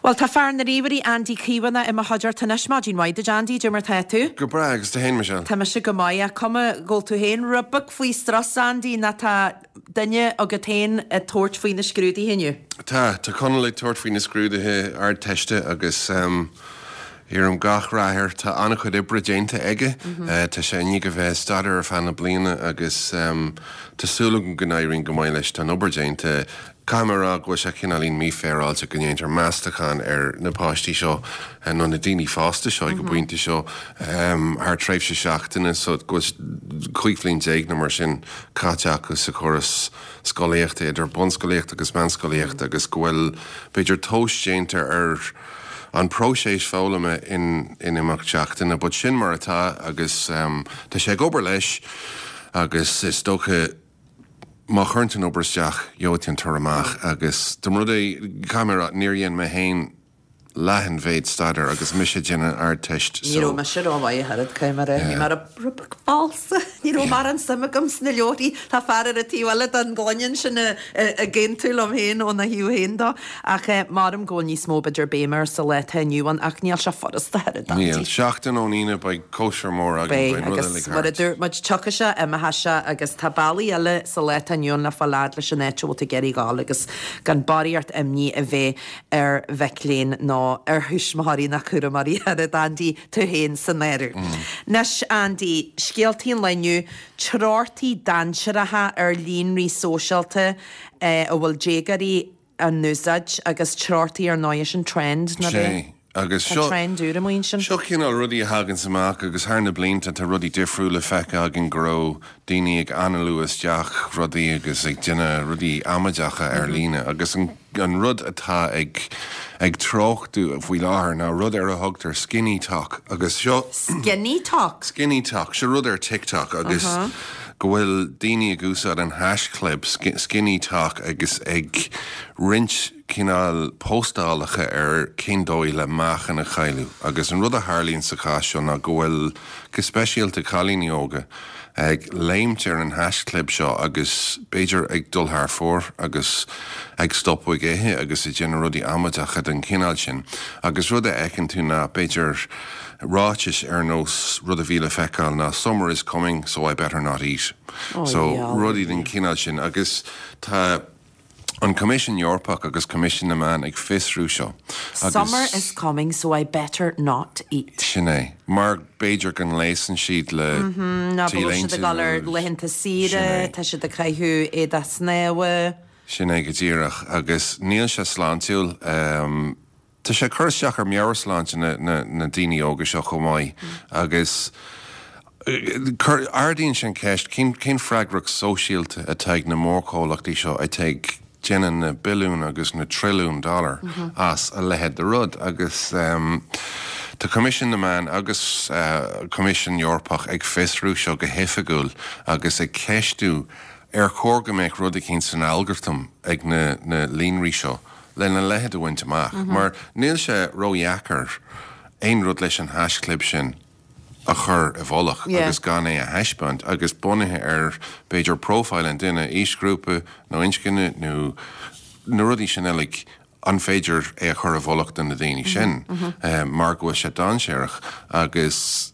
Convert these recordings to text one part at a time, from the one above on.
Bhuel, tá fear na ríomhairí Andy Caomhánach i mo chuideachta anois. Maidin mhaith duit Andy, cad é mar tá tú? Go breá, agus tú fhéin, Michelle? Tá mise go maith, ach cuma go bhfuil tú fhéin rud beag faoi strus, Andy, nó tá duine agat fhéin ag tabhairt faoi na scrúduithe inniu? Tá, tá Conall ag tabhairt faoi na scrúduithe Ardteiste agus iarraim gach rath air. Tá an-chuid oibre déanta aige, tá sé i ndiaidh a bheith ag staidéar ar feadh na bliana agus tá súil agam go n-éiríonn go maith leis. Tá an obair déanta. Caithfidh mé a rá go bhfuil sé cineáilín mífhéaráilte go ndéantar meastachán ar na páistí seo, nó na daoine fásta seo ag an bpointe seo, thar tréimhse seachtaine, so go bhfuil 15 bhliain nó mar sin caite acu sa chóras scolaíochta, idir bunscolaíocht agus meánscolaíocht, agus go bhfuil, b'fhéidir, tomhas déanta ar an próiseas foghlama in imeacht seachtaine. But sin mar atá agus tá sé ag obair leis agus is dócha, Má chuireann tú an obair isteach, gheobhaidh tú an toradh amach agus dá mba rud é, caithfidh mé a rá, níor dhein mé féin leath an mhéid staidéir agus mise ag déanamh an Ardteist Ní raibh mise rómhaith ach oiread, caithfidh mé a rá. Bhí mé rud beag falsa. Ní raibh mórán suim agam sna leabharthaí. Tá fear ar an taobh eile den ghloine ansin ag aontú liom féin óna thaobh féin dó. Ach maram go bhfuil níos mó b'fhéidir béime air sa lá atá inniu ann ach níl sé furasta ach oiread, Níl. Seachtain ón Aoine beidh cóisir mór againn, Beidh, beidh an rud agus uilig mar a thart. dúirt muid, tiocfaidh sé, imeoidh sé agus tá bealaí eile sa lá atá inniu ann le fáil fhad leis an áit a bhfuil tú ag iarraidh dhul agus gan barraíocht imní a bheith ar mhic léinn nó ar thuismitheoirí ná cúramóirí ach oiread, Andy, tú féin san áireamh. Anois, Andy, scéaltaí an lae inniu, treochtaí dainséaracha ar líonraí sóisialta a bhfuil déagóirí á n-úsáid agus treochtaí ar ndóigh sin trend, ná Sé. Agus Tá seo, trend úr amuigh ansin. seo cineál rudaí a thaganns amach agus thar na blianta tá rudaí difriúla feicthe againn go raibh daoine ag análú isteach rudaí agus ag déanamh rudaí amaideacha ar líne agus an, an rud atá ag, ag treochtú faoi láthair ná rud ar a thugtar skinnytok agus seo, Skinnytok? Skinnytok, seo rud ar TikTok agus go bhfuil daoine ag úsáid an haischlib skinnytok agus ag roinnt cineál póstálacha ar cén dóigh le meáchan a chailleadh agus an rud a tharlaíonn sa chás seo ná go bhfuil, go speisialta cailíní óga, ag léimt ar an haischlib seo agus b'fhéidir ag dul thar fóir agus ag stopadh ag ithe agus ag déanamh rudaí amaideacha den chineál sin agus rud a fheiceann tú ná b'fhéidir ráitis ar nós rud a bhí le feiceáil ná summer is coming so I better not eat so rudaí den chineál sin agus tá an Coimisiún Eorpach agus Coimisiún na Meán ag fiosrú seo agus. Summer is coming so I better not eat. Sin é. Mar b'fhéidir go ngléasann siad le Nó go bhfuil siad ag dul ar laethanta saoire, tá siad ag caitheamh éadach snámha. Sin é go díreach agus níl sé sláintiúil. Tá sé ag cur isteach ar mheabhairshláinte na ndaoine óga seo chomh maith agus ardaíonn sé an cheist cén freagracht sóisialta atá ag na mórchomhlachtaí seo atá ag déanamh na billiún agus na trilliún dollar as a leithéid de rud agus tá Coimisiún na Meán agus Coimisiún Eorpach ag fiosrú seo go hoifigiúil agus ag ceistiú ar chóir go mbeadh rud eicínt san algartam ag na líonraí seo lena leithéid a bhaint amach, mar níl sé ródheacair aon rud leis an haischlib sin a chur i bhfolach agus gan é a thaispeáint, agus bunaithe ar, b'fhéidir, profile an duine, aoisghrúpa nó inscne nó na rudaí sin uilig, an féidir é a chur i bhfolach do na daoine sin mar go bhfuil sé dainséarach agus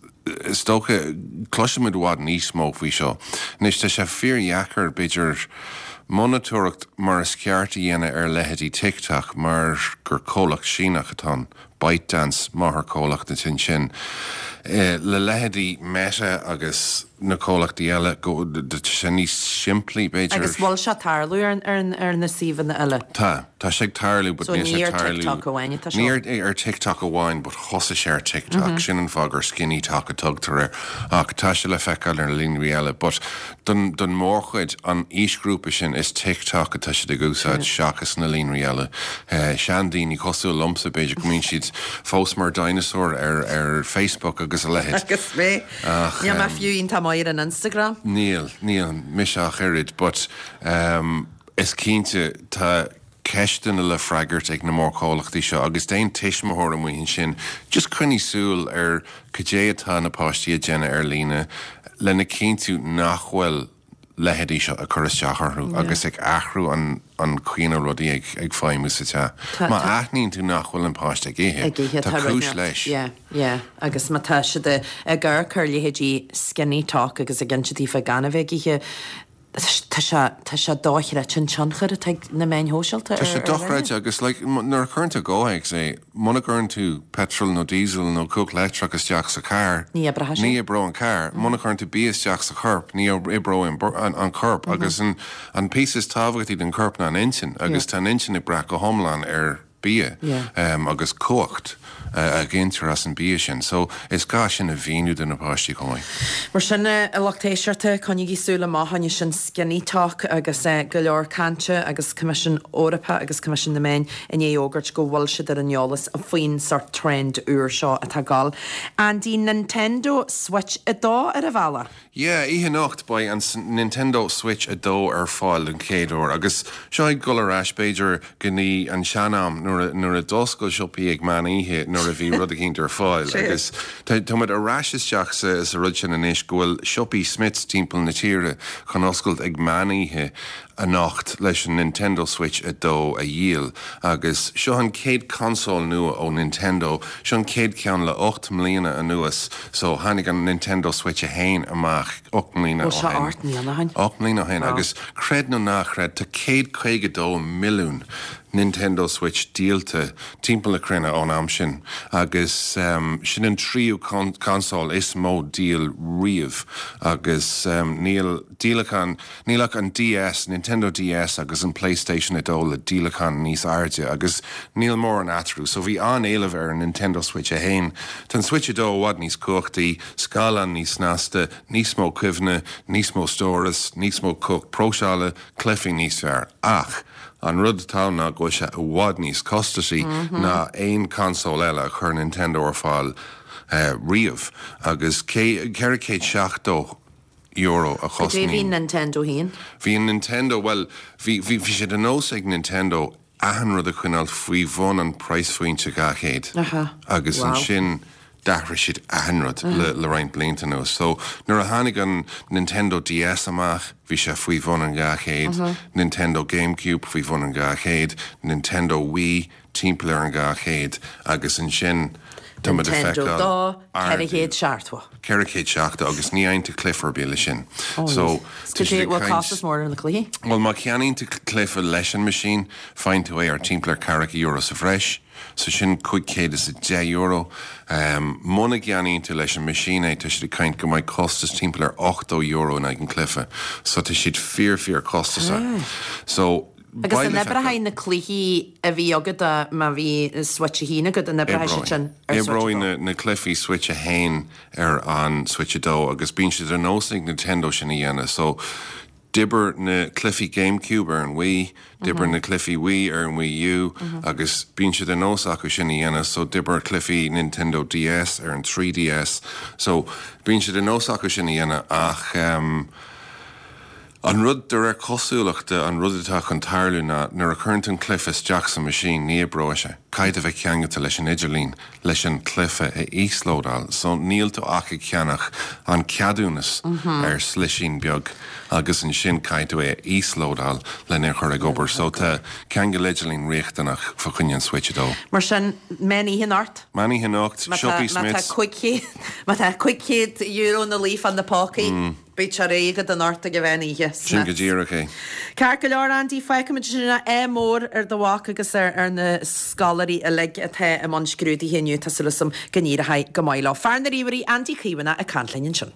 is dócha, cloisfimid i bhfad níos mó faoi seo. Anois, tá sé fíordheacair, b'fhéidir, monatóireacht mar is ceart a dhéanamh ar leithéidí TikTok mar gur comhlacht Síneach atá ann, ByteDance, máthairchomhlacht ansin. Le leithéidí Meta agus na comhlachtaí eile, tá sé níos simplí, b'fhéidir. Agus bhfuil sé ag tarlú ar na suíomhanna eile? Tá. Tá sé ag tarlú but So níl sé ní ag ar tarlú. TikTok amháin atá Ní seo? ar ar TikTok amháin but thosaigh sé ar TikTok. Sin an fáth gur SkinnyTok a tugtar air. Ach tá sé le feiceáil ar na líonraí eile. But don don mórchuid, an aoisghrúpa sin, is TikTok atá siad ag úsáid seachas na líonraí eile. Seandaoine cosúil liomsa b'fhéidir go mbíonn siad fós mar dinosaur ar ar Facebook agus a leithéid. Agus mé. Ach Níl mé fiú iontach maith ar an Instagram. Níl, níl mise ach oiread but Is cinnte, tá ceisteanna le freagairt ag na mórchomhlachtaí seo agus d'aon tuismitheoir amuigh ansin, just coinnigh súil ar cad é atá na páistí ag déanamh ar líne lena chinntiú nach bhfuil. leithéidí seo ag cur isteach orthu agus ag athrú an an chaoi ina rudaí ag ag feidhmiú sa teach. Má aithníonn tú nach bhfuil an páiste ag ithe, Ag ithe, tá tá rud cúis inteacht. leis. Yeah, yeah. Agus má tá siad ag amharc ar leithéidí SkinnyTok agus ag inse daofa gan a bheith ag ithe, tá sé, tá sé dochreidte an tionchar atá ag na meáin shóisialta Tá ar sé ar dhuine. dochreidte agus like nuair a chuireann tú i gcomhthéacs é, muna gcuireann tú petrol nó diesel nó cumhacht leictreach isteach sa charr, Ní oibreoidh sé. ní oibreoidh an carr. Muna gcuireann tú bia isteach sa chorp, ní oibreoidh an an corp agus an an píosa is tábhachtaí den chorp ná an intinn agus tá an intinn ag brath go hiomlán ar bia agus cumhacht a ghintear as an bia sin. So is gá sin a mhíniú do na páistí chomh maith. Mar sin, a lucht éisteachta, coinnígí súil amach fá choinne sin SkinnyTok agus go leor cainte agus Coimisiún Eorpach agus Coimisiún na Meán i ndiaidh fhógairt go bhfuil siad ar an eolas faoin sórt trend úr seo atá ag gabháil. Andy, Nintendo Switch 2 ar an bhealach. Yeah, oíche anocht beidh an Nintendo Switch 2 ar fáil don chéad uair agus seo ag dul ar ais b'fhéidir go dtí an sean-am nuair a nuair a d'oscail siopaí ag meán oíche nuair a bhí rud eicínt ar fáil agus tá tá muid ar ais isteach sa sa rud sin anois go bhfuil siopaí Smyths timpeall na tíre chun oscailt ag meán oíche anocht leis an Nintendo Switch 2 a dhíol agus seo an chéad consól nua ó Nintendo, seo an chéad cheann le 8 mbliana anuas so tháinig an Nintendo Switch 1 amach 8 mbliana ó Bhuel seo shin. 8 mbliana ó shin. 8 mbliana ó shin agus creid nó ná chreid tá 152 milliún Nintendo Switch díolta timpeall na cruinne ón am sin agus sin an tríú consól is mó díol riamh agus níl díolachán Níl ach an DS, Nintendo DS agus an PlayStation 2 le díolachán níos airde agus níl mórán eatarthu, so bhí an-éileamh ar an Nintendo Switch 1. Tá an Switch 2 i bhfad níos cumhachtaí, scáileán níos snasta, níos mó cuimhne, níos mó stóras, níos mó cumhacht próiseála, cluichí níos fearr. Ach an rud atá ann ná go bhfuil sé i bhfad níos costasaí ná aon consól eile a chuir Nintendo ar fáil riamh agus €470 euro a Cad é bhí chosnaíonn. Nintendo féin? Bhí an Nintendo, bhuel, bhí, bhí, bhí sé de nós ag Nintendo achan rud a choinneáil faoi bhun an praghassphointe 200 Aha. agus Wow. ansin d'athraigh siad achan rud le, le roinnt blianta anuas. So, nuair a tháinig an Nintendo DS amach, bhí sé faoi bhun an 200, Nintendo GameCube faoi bhun an 200, Nintendo Wii, timpeall ar an 200 agus ansin tá muid ag Nintendo feiceáil 2, ardú 470. 470 agus ní fhaigheann tú cluiche ar bith leis sin. Oh, So yes. tá Cad siad é ag bhfuil caint costas mór ar na cluichí? Bhuel má cheannaíonn tú cluiche leis an machine faigheann tú é ar timpeall ar ceathracha euro sa bhreis, so sin €510. Muna gceannaíonn tú leis an machine é tá siad ag caint go mbeidh costas timpeall ar €80 in aghaidh an cluiche. So tá siad fíor fíor costasach. So Agus beidh an le oibreoidh feiceáil. na cluichí a bhí agat dá má bhí Switch 1 agat, an oibreoidh siad sin ar Switch 2? Oibreoidh na cluichí Switch 1 ar an Switch 2 agus bíonn sé de nós ag Nintendo sin a dhéanamh. So, d'oibir na cluichí GameCube ar an Wii, d'oibir na cluichí Wii ar an Wii U agus bíonn sé de nós acu sin a dhéanamh. So, d'oibir cluichí Nintendo DS ar an 3DS. So, bíonn sé de nós acu sin a dhéanamh ach. An rud, de réir cosúlachta, an rud atá chun tarlú ná nuair a chuireann tú an cluiche isteach sa machine, ní oibreoidh sé. Caithfidh tú a bheith ceangailte leis an idirlíon leis an cluiche a íoslódáil. So níl tú ach ag ceannach an ceadúnas ar slisín beag agus ansin caithfidh tú é a íoslódáil lena chur ag obair. So tá ceangal idirlín riachtanach fá choinne an Switch 2. Mar sin, meán oíche anocht. Meán oíche anocht, Má tá siopaí má tá Smyths. 500 má tá €500 ina luí fá na pócaí. Beidh sé réidh agat anocht ag an mheán oíche. Sin go díreach é. Ceart go leor, Andy, fágfaimid sin ádh mór ar do mhac agus ar na scoláirí uilig atá i mbun scrúduithe inniu. Tá súil agam go n-éireoidh go maith leo. Fear na ríomhairí, Andy Caomhánach ag caint linn ansin.